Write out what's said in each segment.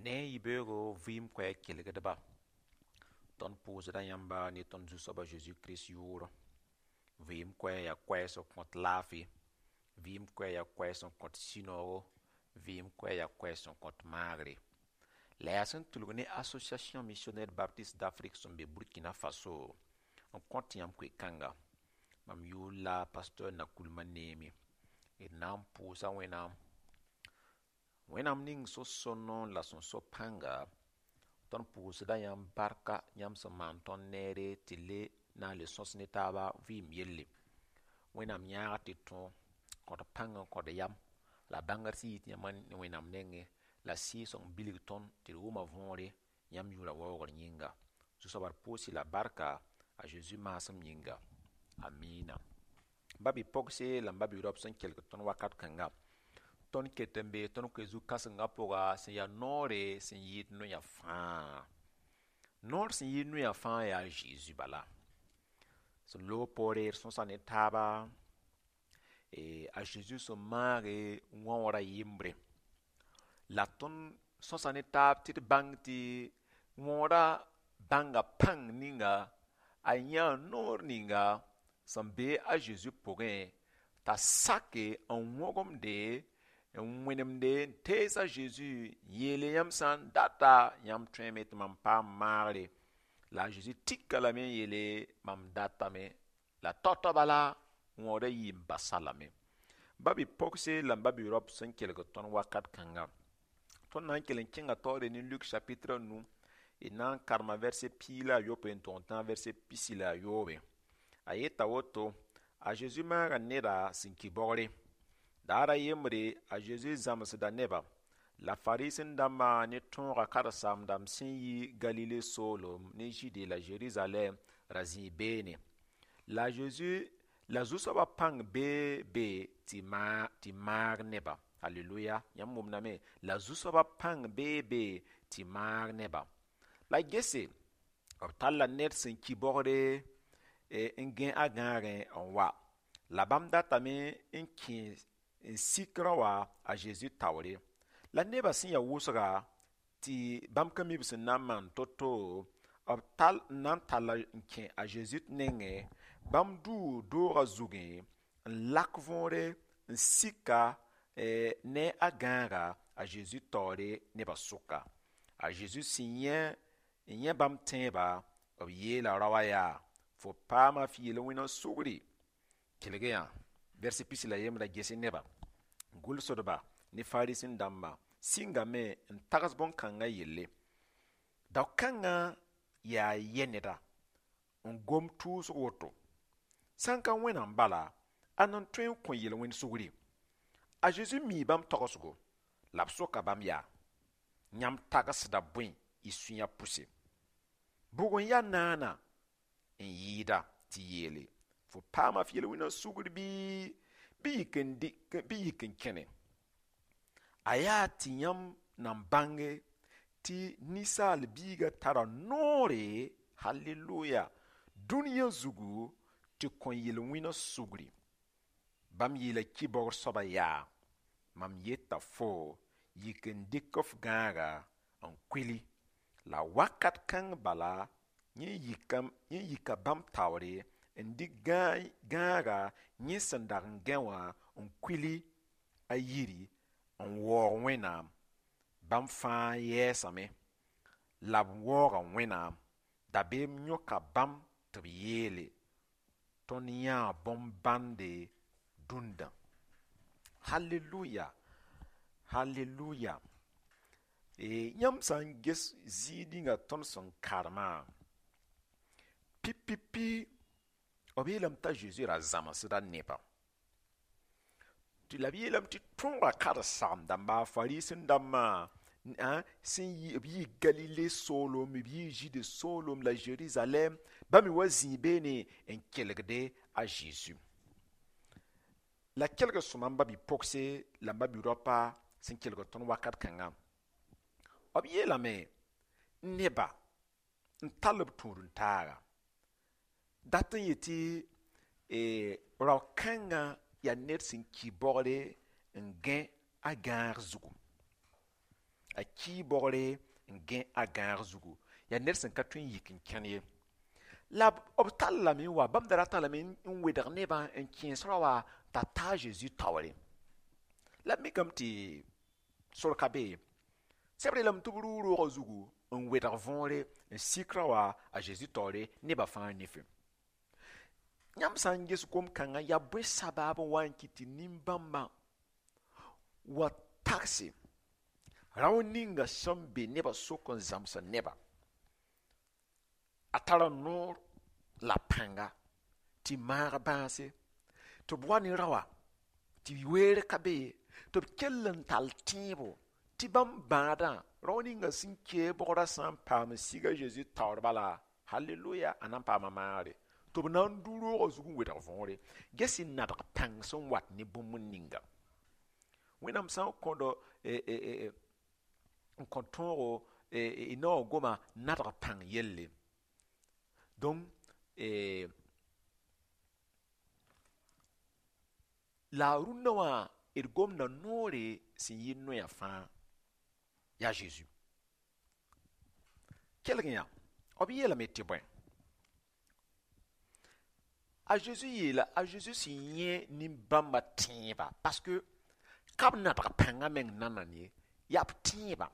Ne yibeoogo vɩɩm koɛɛg kelgdba, tõnd pʋʋsda yãmba ne tõnd Zu-soaba Zeezi Kirist yʋʋr. Vɩɩm koɛɛg yaa koɛɛg sẽn kõt laafɩ, vɩɩm koɛɛg yaa koɛɛg sẽn kõt sũ-noogo, vɩɩm koɛɛg yaa koɛɛg sẽn kõt maagre. La yaa sẽn tʋlg ne Association Missionnaire Baptiste d'Afrique sẽn be Burkina Faso n kõt yãmb koe-kãnga. Mam yʋʋr la pasteur Nakoulma Neeme. D na n pʋʋsa Wẽnnaam, Wẽnnaam ning so-sõno la sẽn so pãnga. Tõnd pʋʋsda yãmb barka yãmb sẽn maan tõnd neere tɩ le na n le sõs ne taaba vɩɩm yelle. Wẽnnaam yãag tɩ tõe kõt pãng n kõt yam la bãngr sẽn yit yãmb Wẽnnaam nengẽ la Sɩɩg-sõng bilg tõnd tɩ d wʋma võore yãmb yʋʋra waoogr yĩnga. Zu-soaba d pʋʋs-y la barka a Zeezi maasem yĩnga. Amina. Ba-bi-pogse la m ba-bi-raop sẽn kelg tõnd wakat kãnga, tõnd ket n bee tõnd koe zu-kãsengã pʋga sẽn yaa noore sẽn yɩɩd noyã fãa. Noor sẽn yɩɩd noyã fãa yaa Zeezi bala. Sẽn loog poore d sõsa ne taaba, a Zeezi sẽn maage wãoora yembre. La tõnd sõsa ne taab tɩ d bãng tɩ wãoora bãnga pãng ninga a yãa noor ninga sẽn be a Zeezi pʋgẽ t'a sake n wõgemde, n wẽnemde, n tees a Zeezi n yeele: yãmb sã n data, yãmb tõeme tɩ mam paam maagre. La a Zeezi tika lame n yeele: mam datame. La tao-tao bala wãoora yii n basa lame. Ba-bi-pogse la m ba-bi-raop sẽn kelg tõnd wakat kãnga, tõnd na n kell n kẽnga taoore ne Luk chapitre nu, d na n karema verset 16 n tʋg n tãag verset 23. A yeta woto: a Zeezi maaga neda sẽn ki baoogre. Daara yembre, a Zeezi zãmsda neba, la Fariisẽ-dãmbã ne tõoga karen-saam-dãmb sẽn yi Galile soolem ne Zɩɩde la Zerizalɛɛm ra zĩi beene. La Zeezi la Zu-soabã pãng bee be tɩ maag neba. Halleluya! Yãmb wʋmdame, la Zu-soabã pãng bee be tɩ maag neba. La gese, b talla ned sẽn ki baoogre n gãe a gãagẽ n wa. La bãmb datame n kẽ n sik rã wã a Zeezi taoore. La nebã sẽn ya wʋsga tɩ bãmb ka mi b sẽn na n maan to-to, b tall n na n talla n kẽ a Zeezi nengẽ, bãmb duu doogã zugẽ n lak võore n sika ne a gãaga a Zeezi taoore nebã sʋka. A Zeezi sẽn yẽ n yẽ bãmb tẽebã, b yeela rao wã yaa: fo paama f yel-wẽna sugri. Kelg yã verset 21 gese nebã, gʋlsdba ne Fariisẽ-dãmbã sɩngame n tags bõn-kãngã yelle: dao-kãngã yaa yɛ neda n gom tʋʋsg woto? Sã n ka Wẽnnaam bala, ãnna n tõe n kõ yel-wẽnd sugri? A Zeezi mii bãmb tagsgo la b soka bãmb yaa: yãmb tagsda bõe y sũyã pʋse? Bʋg n yaa naana n yɩɩda tɩ yeele: fo paama f yel-wẽna sugr bɩ yik n kẽne? A yaa tɩ yãmb nan bãnge tɩ ninsaal biiga tara noore, halleluya, dũniyã zugu tɩ kõ yel-wẽna sugri. Bãmb yeela ki-baoogr soaba yaa: mam yeta fo, yik n dɩk f gãaga n kuili. La wakat kãng bala yẽ yika bãmb taoore n dɩk gãaga yẽ sẽn dag n gãe wã n kuili a yiri n waoog Wẽnnaam. Bãmb fãa yɛɛsame la b waooga Wẽnnaam. Dabeem yõka bãmb tɩ b yeele: tõnd yãa bõn-bãnde dũndã. Halleluya, halleluya! Yãmb sã n ges zĩig ninga tõnd sẽn karemã pipipi, b yeelame t'a Zeezi ra zãmsda nebã. Tɩ la b yeelame tɩ tõoga karen-saam-dãmba, Fariisẽ-dãmbã sẽn yi, b yii Galile soolem, b yii Zɩɩde soolem la Zerizalɛɛm, bãmb me wa zĩi beene n kelgde a Zeezi. La kelg sõma, n ba-bi-pogse la m ba-bi-raopa sẽn kelg tõnd wakat kãngã, b yeelame neba n tall b tũud-n-taaga dat n yetɩ rao-kãngã yaa ned sẽn ki baoogre n gãe a gãag zugu. A kii bogre n gẽ a gãag zugu. Yaa ned sẽn ka tõe n yik n kẽn ye. La b tall lame n wa, bãmb da ratã lame n wedg nebã n kẽes rao wã t'a ta a Zeezi taoore. La b mikame tɩ sor ka be ye. Sebr yeelame tɩ b rʋʋ roogã zugu n wedg võore n sik rao wã a Zeezi taoore nebã fãa nifẽ. Yãmb sã n ges gom-kãngã yaa bõe sabaab n wa n kɩt tɩ nin-bãmbã wa tagse rao ninga sẽn be nebã sʋk n zãmsd neba a tara noor la pãnga tɩ maag bãase tɩ b wa ne rao wã tɩ weere ka be ye tɩ b kell n tall tẽebo tɩ bãmb bãadã rao ninga sẽn kee bogrã sã n paam n sig a Zeezi taoor bala halleluya a na n paama maagre tɩ b na n dʋ roogã zug n wedg võore ges y nadg pãng sẽn wat ne bũmb ninga Wẽnnaam sã n kõd n kõ tõogo y naoor goma nadg pãng yelle. Donc la a rũndã wã d gomda noore sẽn yɩ noya fãa yaa Zeezi. Kelg yã b yeelame tɩ bõe a Zeezi yeela a Zeezi sẽn yẽ nin-bãmbã tẽebã parce que ka b nadg pãngã meng nanam ye yaa b tẽebã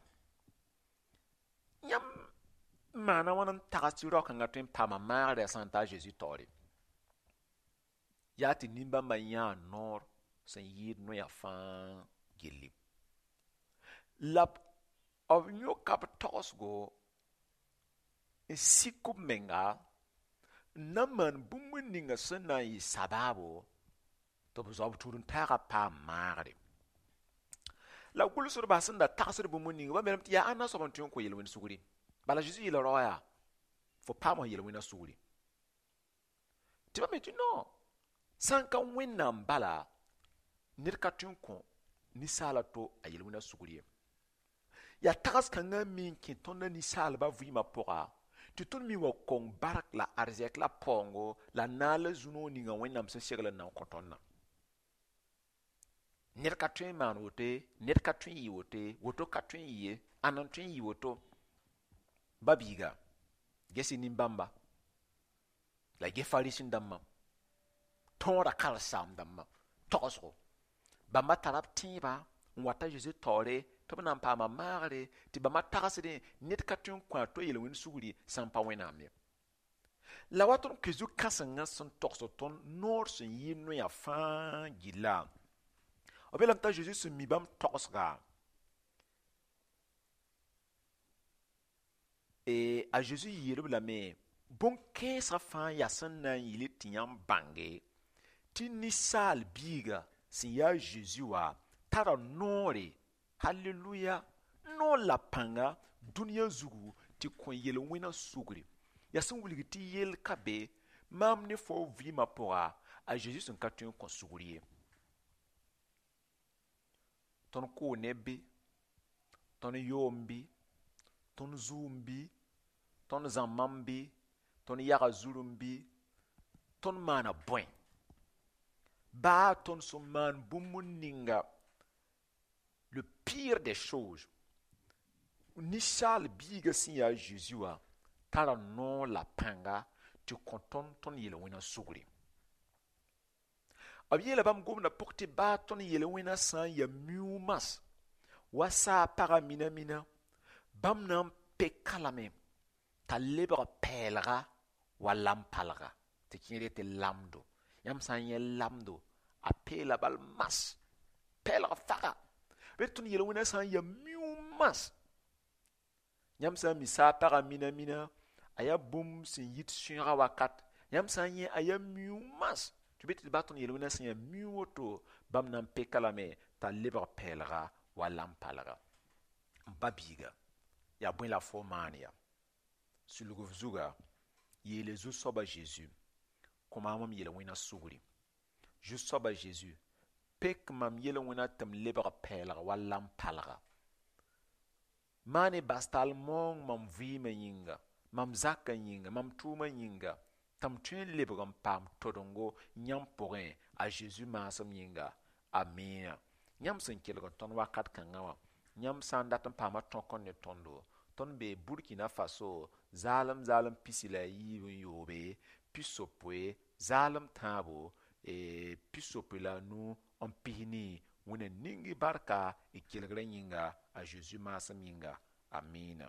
yãmb maana wãn n tags tɩ rao-kãngã tõe n paama maagre a sã n ta a Zeezi taoore yaa tɩ nin-bãmbã yãa noor sẽn yɩɩd noya fãa gilli la b yõka b tagsgo n sik b menga n na n maan bũmb ninga sẽn na n yɩ sabaabo tɩ b zao b tudn-taagã paam maagre. La gʋlsdbã sẽn da tagsd bũmb ninga bãmb yeelame tɩ yaa ãnna soab n tõe n kõ yel-wẽnd sugri. Bala Zeezi yeela rao yaa fo paam f yel-wẽnã sugri. Tɩ bãmb yetɩ non sã n ka Wẽnnaam bala ned ka tõe n kõ ninsaala to a yel-wẽnã sugri ye. Yaa tags-kãngã me n kẽ tõndã ninsaalbã vɩɩmã pʋga tɩ tõnd me wa kong bark la arzɛk la paoongo la naal la zu-noog ninga Wẽnnaam sẽn segl n na n kõ tõndã. Ned ka tõe n maan woto ye, ned ka tõe n yɩ woto ye, woto ka tõe n yɩ ye, ãnna n tõe n yɩ woto. Ba biiga, ges-y nin-bãmba la y ges Fariisẽ-dãmbã, tõodã karen-saam-dãmbã tagsgo. Bãmba tara b tẽebã n wa ta Zeezi taoore tɩ b na n paama maagre tɩ bãmba tagsdẽ ned ka tõe n kõ a to yel-wẽnd sugri sã n pa Wẽnnaam ye. La wa tõnd koe zu-kãsengã sẽn togsd tõnd noor sẽn yɩ noya fãa gilla b yeelame t'a Zeezi sẽn mi bãmb tagsga a Zeezi yeel-b lame bõn-kẽensã fãa yaa sẽn na n yɩl tɩ yãmb bãnge tɩ ninsaal biiga sẽn yaa Zeezi wã tara noore halleluya noor la pãnga dũniyã zugu tɩ kõ yel-wẽnã sugri. Yaa sẽn wilg tɩ yell ka be maam ne fo vɩɩmã pʋga a Zeezi sẽn ka tõe n kõ sugr ye. Tõnd kʋʋ neb bɩ, tõnd yoom bɩ, tõnd zuum bɩ, tõnd zãmbame bɩ, tõnd yaga zurem bɩ, tõnd maana bõe. Baa tõnd sẽn maan bũmb ninga le pire des choses ninsaal biiga sẽn yaa Zeezi wã tara noor la pãnga tɩ kõ tõnd tõnd yel-wẽnã sugri. B yeela bãmb gomdã pʋg tɩ baa tõnd yel-wẽnã sã n yaa miuumas wa saa pagã mina mina bãmb na n peka lame t'a lebg pɛɛlga wa lam-palga tɩ kẽer tɩ lamdo. Yãmb sã n yẽ lamdo a peela bal mas pɛɛlg faga bɩ tõnd yel-wẽnã sã n yaa miuumas yãmb sã n mi saa pagã mina mina a yaa bũmb sẽn yit sõiga wakat yãmb sã n yẽ a yaa miuumas tɩ bɩ tɩ baa tõnd yel-wẽnã sẽn yaa miu woto bãmb na n peka lame t'a lebg pɛɛlga wa lam-palga. N pa biiga yaa bõe la fo maan ya sulg f zuga yeele Zu-soaba Zeezi kõ maam m yel-wẽnã sugri. Zu-soaba Zeezi pek mam yel-wẽnã tɩ m lebg pɛɛlg wa lam-palga. Maan bas tall maoong mam vɩɩmã yĩnga, mam zakã yĩnga, mam tʋʋmã yĩnga tɩ m tõe n lebg n paam todengo yãmb pʋgẽ a Zeezi maasem yĩnga. Amiina. Yãmb sẽn kelg tõnd wakat kãngã wã Yãmb sã n dat n paama tõk n ne tõndo, tõnd bee Burkina Faso, zaalem zaalem 63, 60, zaalem tãabo, 65 n 40. Wẽnna ning y barka y kelgrã yĩnga, a Zeezi maasem yĩnga. Amina.